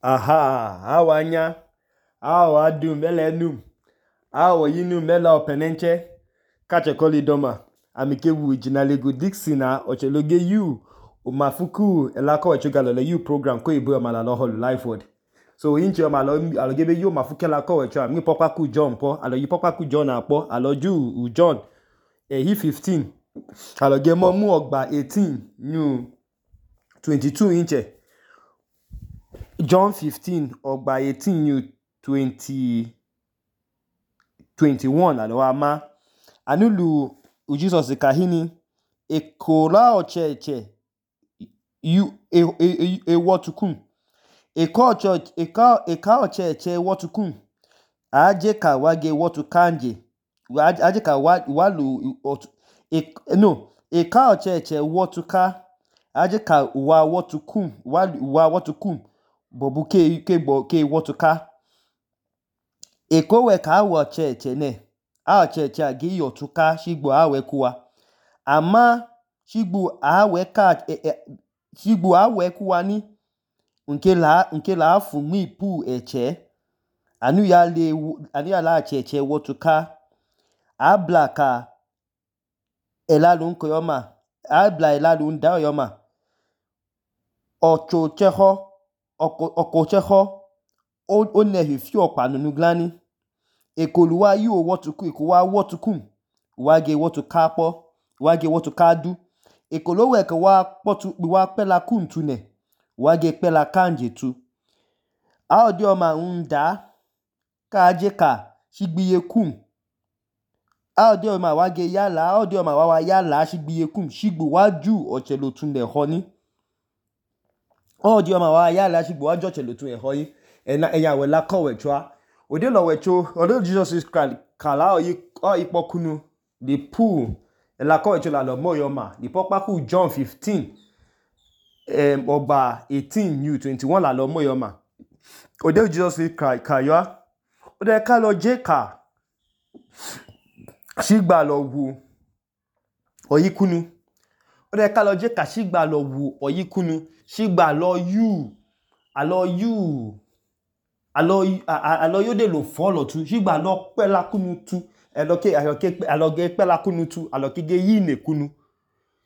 Aha, awanya, awa dum mele num, awa yinum mela openenche, kache koli doma, amike wu jinalego Dixina, ocheloge yu, umafuku, elako echogalo yu program ko ibu yomala lo holu life word. So inche yomala alogebe yu mafuke lako echo, mi pokwa ku John po, alo yi pokwa ku John apo, alo ju John, he 15, aloge mo mu ogba 18, new 22 inche. John 15, ogba 18, new 21, alo ama. Anulu Jesus kahini, ekola ocheche, yu wotukum. Eka ocheche wotukum. Aje ka wage wotu kanje. Aje ka walu eka ocheche wotuka. Aje ka wa wotukum. Wa wotukum. Bobu ke wotuka. Eko we ka awa ocheche ne. A ocheche agi yotuka shigbo awe kuwa. Ama shigbo awe kuwa ni. Nke la afu mi pu eche. Anu ya la cheche wotuka. Abla ka elalun koyoma. Abla elalun da yoma. Oko cheho. O nehi fio panunu glani. Ekoluwa yu wotuku. Ekowa wotukum. Wage wotuka po. Wage wotuka du. Ekolowe ke wa pela kum tu ne. Wage pela kanje tu. Aodi oma unda. Ka aje ka shigbiye kum. Aodi oma wage yala. Aodi oma wawa yala shigbiye kum. Shigbu waju ochelotun de honi. Aodi oma wawa yala shigbu waju ochelotun de honi. Enya wela kowe chwa. Ode lo wecho. Ode Jesus is kala o ipokunu. The pool. Ela kowe chwa la lo mo yoma. The pokpaku John 15. Ogba 18 new 21 la lo mo yoma. Ode Jesus is kaya. Ode ka lo je ka. Shigba lo wu oyikunu. Ode ka lo je ka shigba lo wu oyikunu. Shigba lo yu. Alo yode lo follow tu. Shigba lo pela kunu tu. Aloge pela kunu tu. Aloge yine kunu.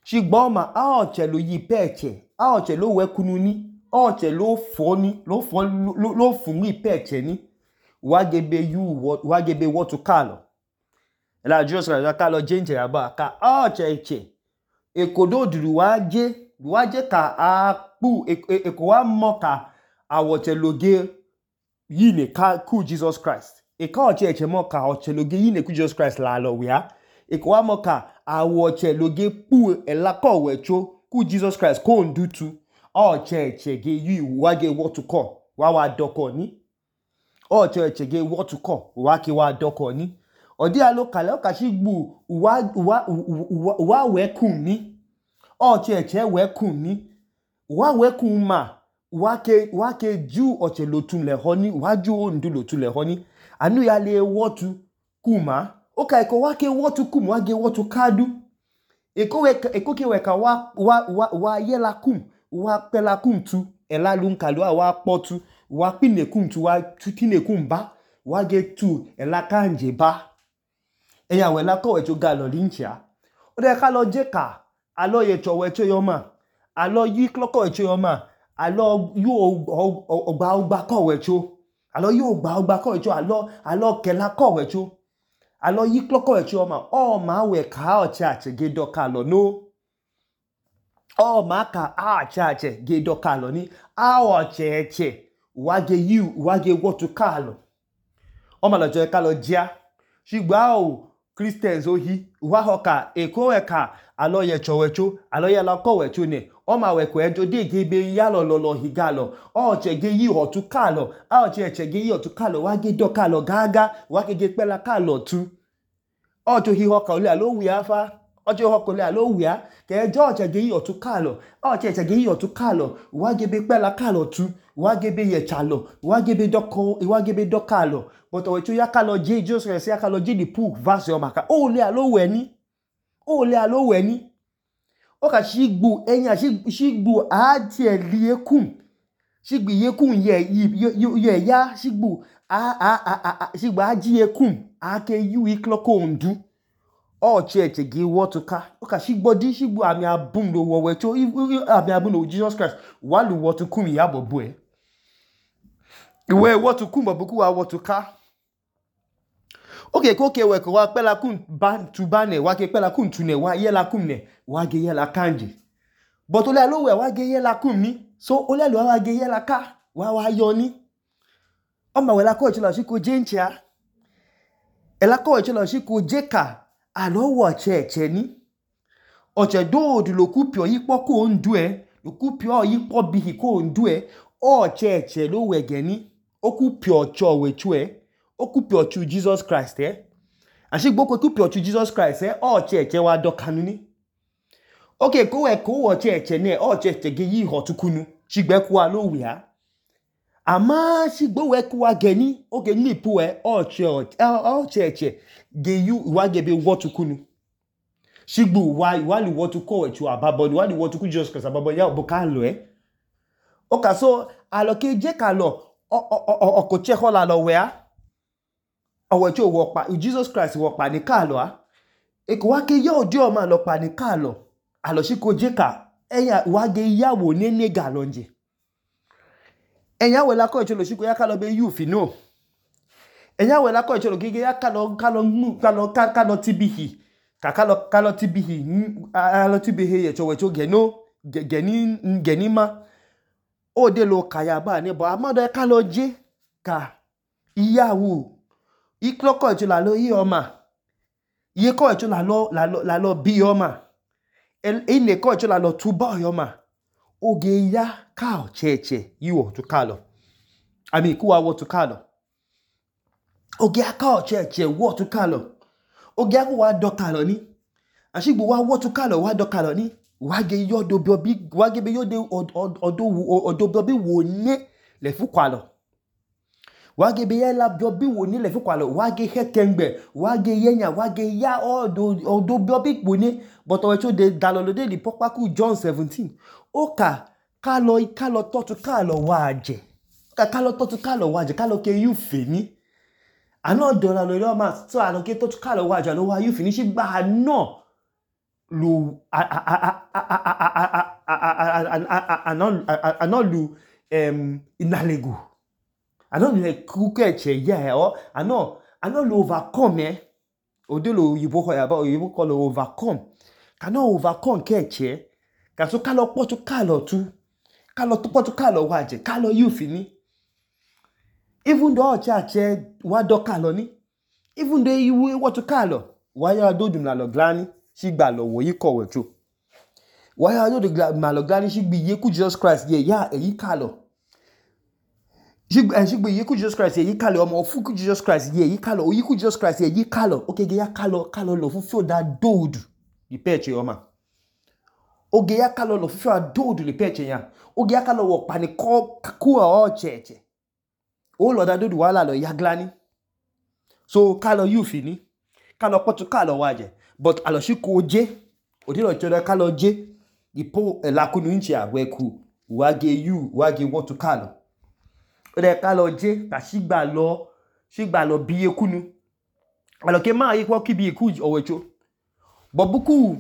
Shigba oma aoche lo yi peche. Aoche lo we kunu ni. Aoche lo fo ni. Lo fungi peche ni. Wagebe wotu kalo. Ela Jesus ka lo jenje yaba. Ka aoche eche. Ekodo duru waje ka akpu. Eko wa mo ka awoche loge yine ku Jesus Christ. Eka oche eche mo ka awoche loge yine ku Jesus Christ la lo wea. Eko wa mo ka awoche loge pu elako wecho ku Jesus Christ ko ndutu. Oche eche ge yu wage wotu ko. Wawa doko ni. Oche eche ge wotu ko. Wake wa doko ni. Odi alo kale o ka shigbu wa wekum ni. Oche eche wekum ni. Wa wekum ma. Wake ju oche lotun le honi. Waju ondu lotun le honi. Anu ya le wotu kuma. Oka eko wake wotu kum. Wage wotu kadu. Eko ke weka wa yela kum. Wa pela kum tu. Ela lunkalua wa potu. Wa pine kum tu. Wa tutine kum ba. Wage tu. Ela kanje ba. Eya wela ko wecho galo linchia. Ode ka lo je ka. Alo yecho wecho yoma. Alo yi kloko wecho yoma. Alo yu ogba ko wecho. Alo yu ogba ko wecho. Alo kela ko wecho. Alo yi kloko wecho yoma. O ma we ka o chache gedo kalo no. O ma ka a chache gedo kalo ni. A o cheche. Wage wotu kalo. O ma lo je kalo jia. Shigba o Christians ohi. Wahoka eko weka. Alo yecho wecho. Alo yela ko wecho ne. O ma weko ejo de gebe yalo lolo higalo. O chege yi otu kalo. O chege yi otu kalo. Wage do kalo gaga. Wage ge pela kalo tu. O cho hi hoka ole alo wia fa. O cho hoka ole alo wia. Ke ejo chege yi otu kalo. O chege yi otu kalo. Wage be pela kalo tu. Wage be ye chalo. Wage be do kalo. But wecho ya kalo je Jesus Christ ya kalo je di pool verse yo maka. Ole alo weni. Ole alo weni. Oka shigbu enya shigbu atie liekum shigbu yekum ye ya shigbu shigbu aji yekum ake yu iklo ko ndu church ge wotuka oka shigbodi shigbu ami abum lo wowe cho ami abum lo Jesus Christ walu wotukum ya bobo iwe wotukum bobuku wa wotuka okay koke we ko wa pela kun ban tu bane wa ke pela kun tu ne wa ye la kun ne wa ge ye la kanje but ole lo we wa ge ye la kun ni so ole lo wa ge ye la ka wa yo ni o ma we la ko chilo shi ko jenchia e la ko chilo shi ko jeka alo wo cheche ni oche do lo kupio yipo ko ndu lo kupio yipo bihi ko ndu o cheche lo we geni o kupio cho we chu o kupio chu Jesus Christ ashigbo ko kupio chu Jesus Christ o cheche wa do kanuni okay ko we ko wo cheche ne o cheche ge yi hotukunu shigbe ku wa lo wi ha ama shigbo we ku wa geni o ge ni pu o cheche ge yu wa ge be wotukunu shigbu wa li wotuko we chu ababo wa li wotuku Jesus Christ ababo ya obuka lo oka so aloke je ka lo ko che ho la lo we a owe cho wo pa Jesus Christ wo pa ni ka lo a e ko wa ke yo odi o ma lo pa ni ka lo alo shi ko je ka eya wa ge yawo ne nega lo nje eya we la ko cho lo shi ko ya ka lo be you fi no eya we la ko cho lo gege ya ka lo tibihi ka lo tibihi alo tibihi ye cho we cho geni ma o de lo kaya ba ni bo amado ka lo je ka iyawo ikloko cho la lo yi o ma iye ko cho la lo bi o ma ene ko cho la lo tuba o ma oge ya ka o cheche yiwo to kalo ami ku wa wo to kalo oge aka o cheche wo to kalo oge aku wa do kalo ni ashigbo wa wo to kalo wa do kalo ni wa ge yo do bi wa ge be yo de odo bi wo ne le fu kwalo wa ge be ya la bi wo ne le fu kwalo wa ge hekengbe wa ge yenya wa ge ya odo bi wo ne but o cho de dalolo de li popaku John 17 oka kalo totu kalo waje kalo totu kalo waje kalo ke you fini ano dola lo ma so ano ke totu kalo waje lo wa you finish gba no lu ano lu inalegu ano le kukeche ya o ano lu overcome odelo yibo ko ya ba yibo ko lo overcome kano overcome keche ka so kalo potu kalo tu kalo to potu kalo waje kalo you fini even though church wa do kalo ni even though you what to kalo wa ya do dum la lo glani shigba lo wo yi ko we chu wa ya do ma lo glani shigbi ye ku Jesus Christ ye ya eyi kalo shigbi ye ku Jesus Christ ye yi kalo omo ofu ku Jesus Christ ye yi kalo oyi ku Jesus Christ ye yi kalo okay ge ya kalo lo fu feel that dood di peche o ma oge ya kalo lo fu feel dood di peche ya oge ya kalo wo pa ni ko ku o cheche o lo da dood wala lo ya glani so kalo you fini kalo potu kalo waje but alo shi ko je odilo choda kalo je ipo lakunu nchi agweku wage you wage wotu kalo ode kalo je ta shigba lo bi ekunu alo ke ma yi ko ki bi eku owecho bobuku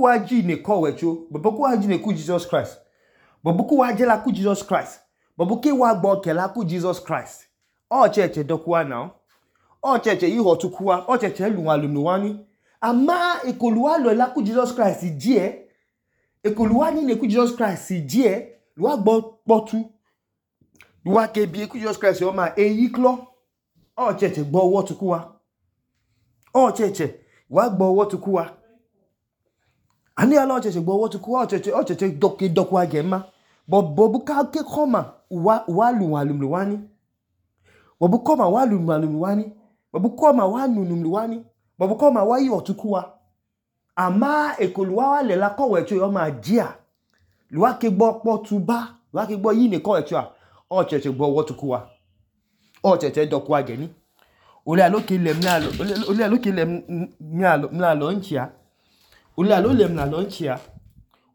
waji ne ko wecho bobuku waji ne ku Jesus Christ bobuku waje la ku Jesus Christ bobuke wa gbo ke la ku Jesus Christ o cheche dokuwa now o cheche yi hotukuwa o cheche luwani ama ekoluwa lo la ku Jesus Christ je ekoluwa ni ne ku Jesus Christ je luwa gbo potu luwa ke bi ku Jesus Christ o ma eyi klo o cheche gbo owo tukuwa o cheche wa gbo owo tukuwa ani ala o cheche gbo owo tukuwa o cheche dokuwa ge ma bobuka ke koma wa luwani wabukoma wa lumwani wabukoma wa nunumwani wabukoma wa yi otukuwa ama ekoluwa wa le la ko wecho yo ma jia luwa ke gbo potuba luwa ke gbo yi ne ko wecho o cheche gbo wotukuwa o cheche dokuwa geni ole aloke le mna lo nchia ole alo le mna lo nchia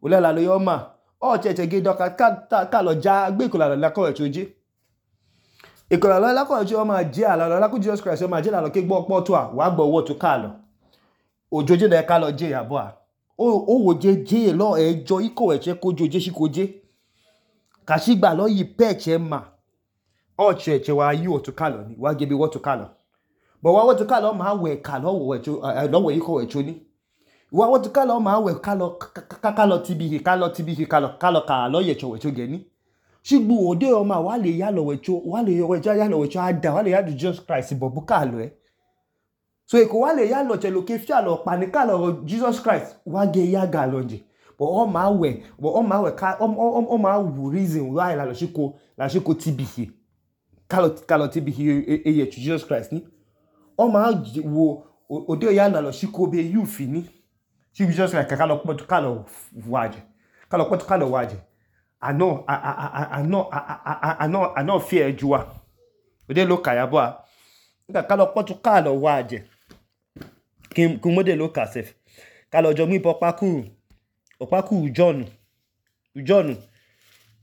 ole la lo yo ma ọchẹchẹ ge dọka kalọ ja gbe ikolalọ lakọwẹchẹ oje ikolalọ lakọwẹchẹ ọma je alalọ lakú Jesus Christ ọma je lalọ ke gbọ ọkpọtụ a wàá gbọ ọwọtụ kalọ ojoje lẹ kalọ je yabọ a owoje je lọ ẹjọ ikọwẹchẹ kojoje shikoje kashigba lọ yi pẹchẹ ma ọchẹchẹ wàá yi ọtụ kalọ ni wàá gebe wọtụ kalọ bọ wàá wọtụ kalọ ma wẹ kalọ wẹ ikọwẹchẹ ni wàá wọtụ kalọ ma wẹ kalọ tibihi kalọ ka lọ yẹchọ wẹchọ gẹni shigbu ode ọma wàá lè yálọ wẹchọ ada wàá lè yálọ Jesus Christ bọbu kalọ ẹ so eko wàá lè yálọ chẹlọ ke fialọ pani kalọ Jesus Christ wàá gẹ ya galọ nje but ọma wù reason why la shiko tibihi kalọ tibihi eyẹchọ Jesus Christ ni ọma wo ode ya nalọ shiko be youth ni shi Jesus Christ kalọ pọtụ kalọ wàjẹ anọ fear juwa ode lo kayabọ a nka kalọ pọtụ kalọ wàjẹ kumode lo kasef kalọ jọ mú ipọ ọkpakuru John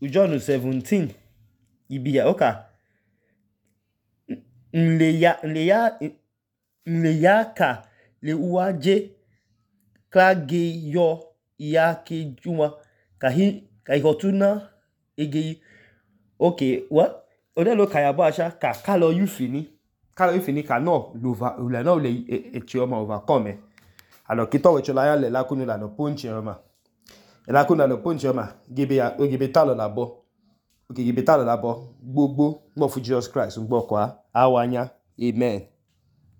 17 ibiya oka nleya ka le uwaje klage yo ya ke juma ka ihotuna egeyi okay what odelo kayabo asha ka kalọ yufini ka no le echi ọma overcome alo kito wechola ya le lakunu la no ponche ọma lakunu la ponche ọma gebe talo labo okay gebe talo labo gbogbo mo fu Jesus Christ ngbo kwa awanya amen.